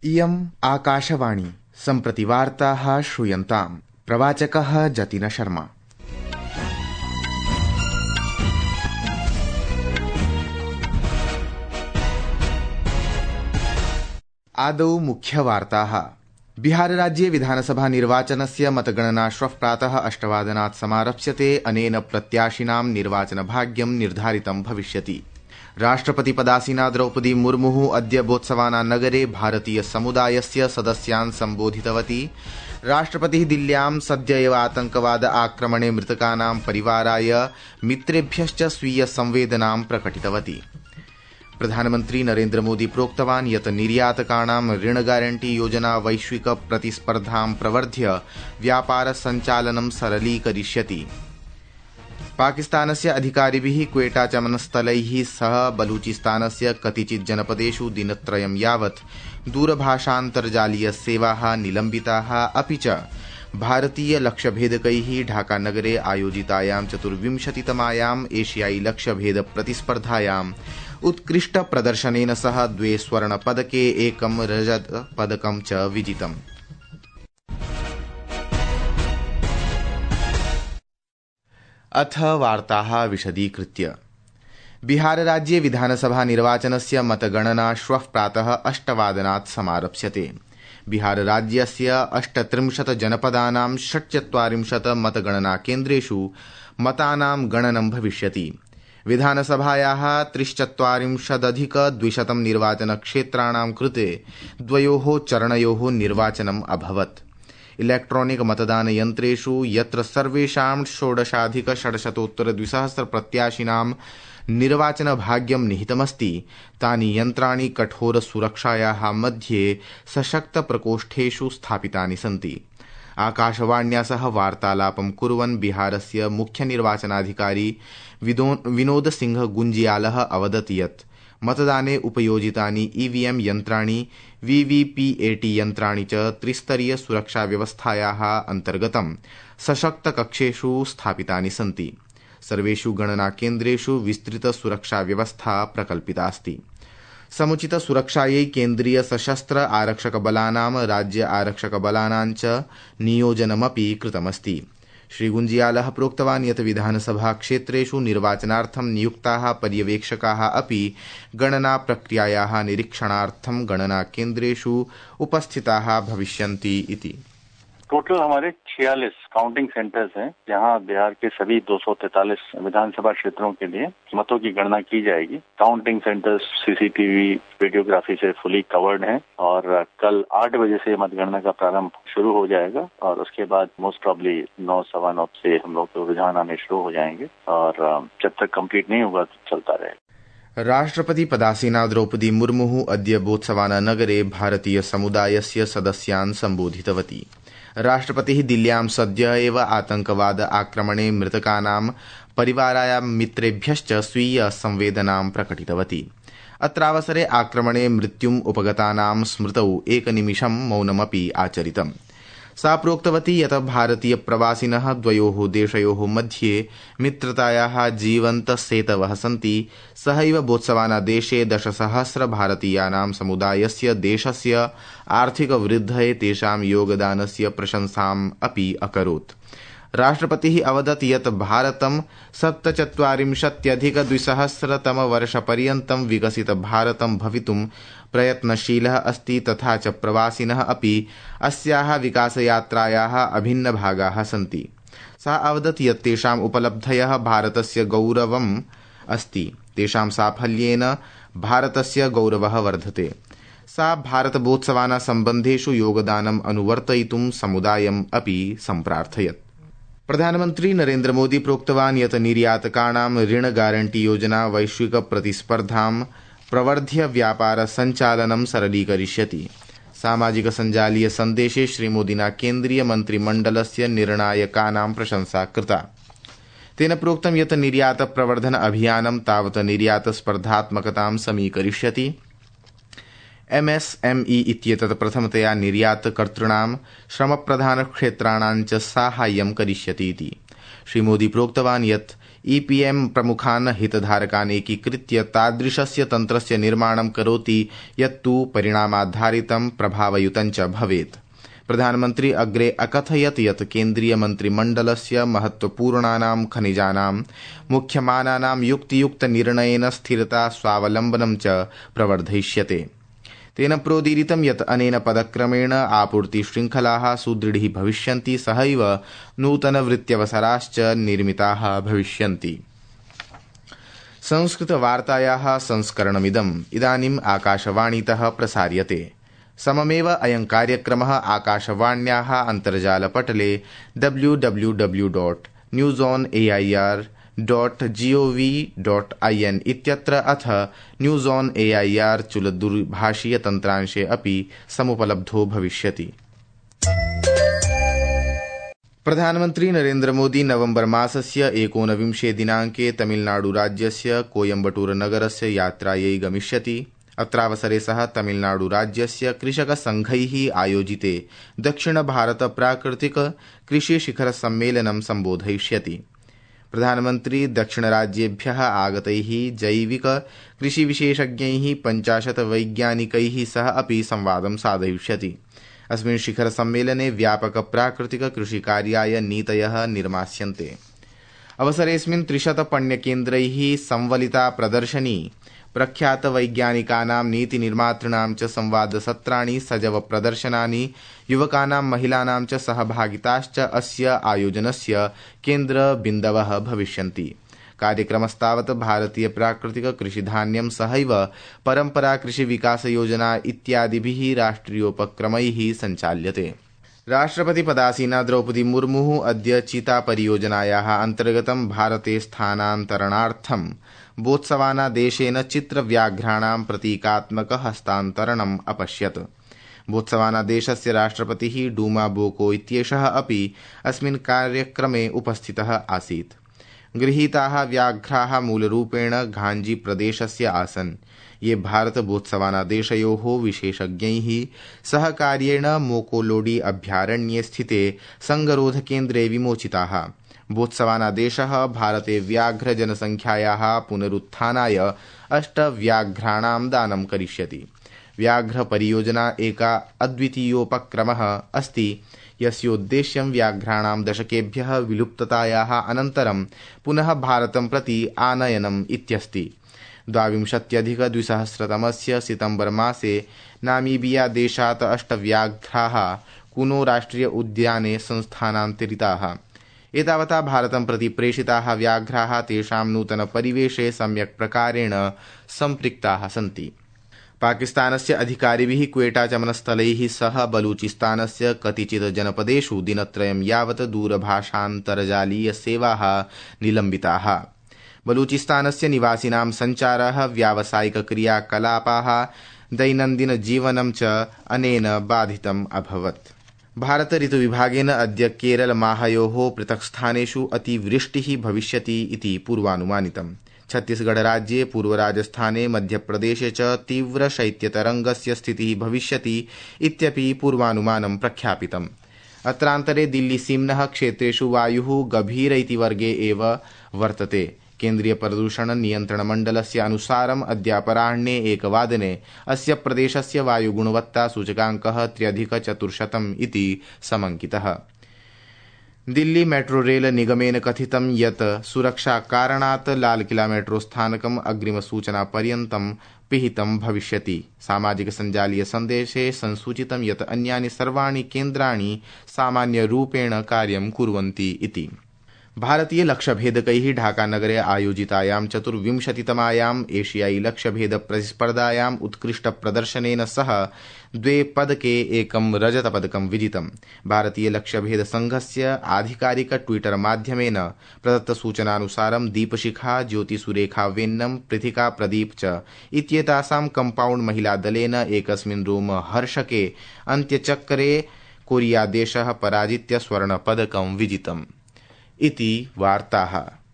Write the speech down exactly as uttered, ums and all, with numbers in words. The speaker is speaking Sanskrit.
इयम् आकाशवाणी सम्प्रति वार्ताः श्रूयन्ताम्। प्रवाचकः जतिन शर्मा। आदौ मुख्यवार्ताः। बिहारराज्ये विधानसभा निर्वाचनस्य मतगणना श्वः प्रातः अष्टवादनात् समारप्स्यते। अनेन प्रत्याशिनां निर्वाचनभाग्यं निर्धारितं भविष्यति। राष्ट्रपतिपदासीना द्रौपदी मुर्मुः अद्य बोत्सवाना नगरे भारतीय समुदायस्य सदस्यान् सम्बोधितवती। राष्ट्रपतिः दिल्ल्यां सद्य एव आतंकवाद आक्रमणे मृतकानां परिवाराय मित्रेभ्यश्च स्वीय संवेदनां प्रकटितवती। प्रधानमन्त्री नरेन्द्र मोदी प्रोक्तवान् यत् निर्यातकाणां ऋण गारंटी योजना वैश्विक प्रतिस्पर्धां प्रवर्ध्य व्यापार सञ्चालनं सरलीकरिष्यति। पाकिस्तानस्य अधिकारिभिः क्वेटा चमनस्थलैः सह बलूचिस्तानस्य कतिचित् जनपदेषु दिनत्रयं यावत् दूरभाषान्तर्जालीय सेवाः निलम्बिताः। अपि च भारतीय लक्ष्यभेदकैः ढाकानगरे आयोजितायां चतुर्विंशतितमायाम् एशियाई लक्ष्यभेद प्रतिस्पर्धायाम् उत्कृष्ट प्रदर्शनेन सह द्वे स्वर्णपदके एकं रजत पदकं च विजितम्। अथ वार्ताः विशदीकृत्य। बिहारराज्ये विधानसभा निर्वाचनस्य मतगणना श्वः प्रातः अष्टवादनात् समारप्स्यते। बिहारराज्यस्य अष्टत्रिंशत् जनपदानां षट्चत्वारिंशत् मतगणनाकेन्द्रेषु मतानां गणनं भविष्यति। विधानसभायाः त्रिश्चत्वारिंशदधिक द्विशतं निर्वाचनक्षेत्राणां कृते द्वयोः चरणयोः निर्वाचनम् अभवत्। इलेक्ट्रॉनिक मतदान यन्त्रेषु यत्र सर्वेषां षोडशाधिक षड्शतोत्तर द्विसहस्र प्रत्याशिनां निर्वाचन भाग्यं निहितमस्ति, तानि यन्त्राणि कठोर सुरक्षायाः मध्ये सशक्त प्रकोष्ठेषु स्थापितानि सन्ति। आकाशवाण्या सह वार्तालापं कुर्वन् बिहारस्य मुख्य निर्वाचनाधिकारी विनोद सिंह गुंजियालः अवदत् यत् मतदाने उपयोजितानि ईवीएम यन्त्राणि वीवीपीएटी यन्त्राणि च त्रिस्तरीय सुरक्षा व्यवस्थायाः अन्तर्गतं सशक्त कक्षेषु स्थापितानि सन्ति। सर्वेषु गणनाकेन्द्रेषु विस्तृत सुरक्षा व्यवस्था प्रकल्पितास्ति। समुचित सुरक्षायै केन्द्रीय सशस्त्र आरक्षक बलानां राज्य आरक्षक बलानां च नियोजनमपि कृतमस्ति। श्री गुंजियालः प्रोक्तवान् यत् विधानसभा क्षेत्रेषु निर्वाचनार्थं नियुक्ताः पर्यवेक्षकाः अपि गणना प्रक्रियायाः निरीक्षणार्थं गणना केन्द्रेषु उपस्थिताः भविष्यन्ति इति। टोटल हमारे छियालीस काउंटिंग सेंटर्स हैं, जहां बिहार के सभी दो सौ तैंतालीस विधानसभा क्षेत्रों के लिए मतों की गणना की जाएगी। काउंटिंग सेंटर्स सीसीटीवी वीडियोग्राफी से फुली कवर्ड हैं और कल आठ बजे से मतगणना का प्रारंभ शुरू हो जाएगा और उसके बाद मोस्ट प्रॉब्ली नौ सवा नौ से हम लोग रुझान आने शुरू हो जाएंगे और जब तक कंप्लीट नहीं होगा तो चलता रहेगा। राष्ट्रपति पदासीना द्रौपदी मुर्मुः अद्य बोत्सवाना नगरे भारतीय समुदायस्य सदस्यान् सम्बोधितवती। राष्ट्रपतिः दिल्ल्यां सद्य एव आतंकवाद आक्रमणे मृतकानां परिवाराय मित्रेभ्यश्च स्वीय संवेदनां प्रकटितवती। अत्रावसरे आक्रमणे मृत्युम् उपगतानां स्मृतौ एकनिमिषं मौनमपि आचरितम्। सा प्रोक्तवती यत् भारतीय प्रवासिनः द्वयोः देशयोः मध्ये मित्रतायाः जीवन्त सेतवः सन्ति। सहैव बोत्सवाना देशे दशसहस्र भारतीयानां समुदायस्य देशस्य आर्थिक वृद्धये तेषां योगदानस्य प्रशंसाम् अपि अकरोत्। राष्ट्रपतिः अवदत् यत् भारतं सप्तचत्वारिंशत्यधिक द्विसहस्रतम वर्षपर्यन्तं विकसित भारतं भवितुं प्रयत्नशीलः अस्ति, तथा च प्रवासिनः अपि अस्याः विकासयात्रायाः अभिन्न भागाः सन्ति। सा अवदत् यत् तेषाम् उपलब्धयः भारतस्य गौरवम् अस्ति, तेषां साफल्येन भारतस्य गौरवः वर्धते। सा भारतबोत्सवाना सम्बन्धेषु योगदानम् अनुवर्तयितुं समुदायम् अपि सम्प्रार्थयत्। प्रधानमन्त्री नरेन्द्र मोदी प्रोक्तवान् यत् निर्यातकाणां ऋण गारंटी योजना वैश्विक प्रतिस्पर्धां प्रवर्ध्य व्यापार सञ्चालनं सरलीकरिष्यति। सामाजिक सञ्जालीय सन्देशे श्रीमोदिना केन्द्रीय मन्त्रिमण्डलस्य निर्णायकानां प्रशंसा कृता। तेन प्रोक्तं यत् निर्यात प्रवर्धन अभियानं तावत् निर्यात स्पर्धात्मकतां समीकरिष्यति। एमएसएमई इत्येतत् प्रथमतया निर्यातकर्तॄणां श्रमप्रधानक्षेत्राणां च साहाय्यं करिष्यति इति। श्रीमोदी प्रोक्तवान् यत् ईपीएम प्रमुखान् हितधारकान् एकीकृत्य तादृशस्य तन्त्रस्य निर्माणं करोति यत्तु परिणामाधारितं प्रभावयुतं च भवेत्। प्रधानमन्त्री अग्रे अकथयत् यत् केन्द्रीयमन्त्रिमण्डलस्य महत्वपूर्णानां खनिजानां मुख्यमानानां युक्तियुक्तनिर्णयेन स्थिरता स्वावलम्बनं च प्रवर्धयिष्यते। तेन प्रोदीरितं यत् अनेन पदक्रमेण आपूर्तिशृङ्खलाः सुदृढी भविष्यन्ति, सहैव नूतनवृत्त्यवसराश्च निर्मिताः भविष्यन्ति। संस्कृतवार्तायाः संस्करणमिदम् इदानीम् आकाशवाणीतः प्रसार्यते। सममेव अयं कार्यक्रमः आकाशवाण्याः अन्तर्जालपटले W W W dot news on A I R dot GOV dot I N इत्यत्र अथ news on A I R चुलदूरभाषीयतन्त्रांशे अपि समुपलब्धो भविष्यति। प्रधानमन्त्री नरेन्द्र मोदी नवम्बर मासस्य एकोनविंशे दिनाङ्के तमिलनाडुराज्यस्य कोयम्बटूरनगरस्य यात्रायै गमिष्यति। अत्रावसरे सः तमिलनाडुराज्यस्य कृषकसङ्घैः आयोजिते दक्षिणभारत प्राकृतिक कृषिशिखरसम्मेलनं सम्बोधयिष्यति। प्रधानमन्त्री दक्षिणराज्येभ्यः आगतैः जैविक कृषिविशेषज्ञैः पञ्चाशत् वैज्ञानिकैः सह अपि संवादं साधयिष्यति। अस्मिन् शिखरसम्मेलने व्यापक प्राकृतिक कृषिकार्याय नीतयः निर्मास्यन्ते। अवसरेऽस्मिन् त्रिशत पण्यकेन्द्रैः संवलिता प्रदर्शनी, प्रख्यात वैज्ञानिकानां नीतिनिर्मातॄणां च संवादसत्राणि, सजव प्रदर्शनानि, युवकानां महिलानां च सहभागिताश्च अस्य आयोजनस्य केन्द्रबिन्दवः भविष्यन्ति। कार्यक्रमस्तावत् भारतीय प्राकृतिक कृषिधान्यं सहैव परम्परा कृषिविकासयोजना इत्यादिभिः राष्ट्रियोपक्रमैः सञ्चाल्यते। राष्ट्रपतिपदासीना द्रौपदी मुर्मुः अद्य चीता परियोजनायाः अन्तर्गतं भारते स्थानान्तरणार्थं बोत्सवाना देशेन चित्रव्याघ्राणां प्रतीकात्मक हस्तान्तरणम् अपश्यत्। बोत्सवाना देशस्य राष्ट्रपतिः डूमा बोको इत्येषः अपि अस्मिन् कार्यक्रमे उपस्थितः आसीत्। गृहीताः व्याघ्राः मूलरूपेण घाञ्जी प्रदेशस्य आसन्, ये भारत बोत्सवाना देशयोः विशेषज्ञैः सहकार्येण मोकोलोडी अभयारण्ये स्थिते संगरोधकेन्द्रे विमोचिताः। बोत्सवाना देशः भारते व्याघ्र जनसंख्यायाः पुनरुत्थानाय अष्ट व्याघ्राणां दानं करिष्यति। व्याघ्र परियोजना एका अद्वितीयोपक्रमः अस्ति, यस्योद्देश्यं व्याघ्राणां दशकेभ्यः विलुप्ततायाः अनन्तरं पुनः भारतं प्रति आनयनम् इत्यस्ति। द्वाविंशत्यधिकद्विसहस्रतमस्य सितम्बर मासे नामीबिया देशात् अष्टव्याघ्राः कुनो राष्ट्रिय उद्याने संस्थानान्तरिताः। एतावता भारतं प्रति प्रेषिताः व्याघ्राः तेषां नूतनपरिवेशे सम्यक् प्रकारेण सम्पृक्ताः सन्ति। पाकिस्तानस्य अधिकारिभिः क्वेटा चमनस्थलैः सह बलूचिस्तानस्य कतिचित् जनपदेषु दिनत्रयं यावत् दूरभाषान्तर्जालीयसेवाः निलम्बिताः। बलूचिस्तानस्य निवासिनां सञ्चारः, व्यावसायिकक्रियाकलापाः, दैनन्दिनजीवनं च अनेन बाधितम् अभवत्। भारत ऋतुविभागेन अद्य केरल माहयोः पृथक् स्थानेषु अतिवृष्टिः भविष्यति इति पूर्वानुमानितम्। छत्तीसगढ़ राज्ये, पूर्वराजस्थाने, मध्यप्रदेशे च तीव्रशैत्यतरङ्गस्य स्थितिः भविष्यति इत्यपि पूर्वानुमानं प्रख्यापितम्। अत्रान्तरे दिल्लीसीम्नः क्षेत्रेषु वायुः गभीर इति वर्गे एव वर्तते। केन्द्रीय प्रदूषण नियन्त्रण मण्डलस्य अनुसारम् अद्यापराह्णे एकवादने अस्य प्रदेशस्य वायुगुणवत्ता सूचकाङ्कः त्र्यधिकचतुर्शतम् इति समङ्कितः। दिल्ली मेट्रो रेल निगमेन कथितं यत् सुरक्षाकारणात् लालकिला मेट्रो स्थानकम् अग्रिमसूचनापर्यन्तं पिहितं भविष्यति। सामाजिक सञ्जालीय सन्देशे संसूचितं यत् अन्यानि सर्वाणि केन्द्राणि सामान्यरूपेण कार्यं कुर्वन्ति इति। भारतीय लक्ष्यभेदकैः ढाकानगरे आयोजितायां चतुर्विंशतितमायाम् एशियाई लक्ष्यभेद प्रतिस्पर्धायाम् उत्कृष्टप्रदर्शनेन सह द्वे पदके एकं रजतपदकं विजितम्। भारतीय लक्ष्यभेद संघस्य आधिकारिक ट्विटर माध्यमेन प्रदत्तसूचनानुसारं दीपशिखा, ज्योतिसुरेखा वेन्नम, पृथिका प्रदीप च इत्येतासां कम्पाउण्ड महिलादलेन एकस्मिन् रोमहर्षके अन्त्यचक्रे कोरियादेशः पराजित्य स्वर्णपदकं विजितम् इति वार्ताः।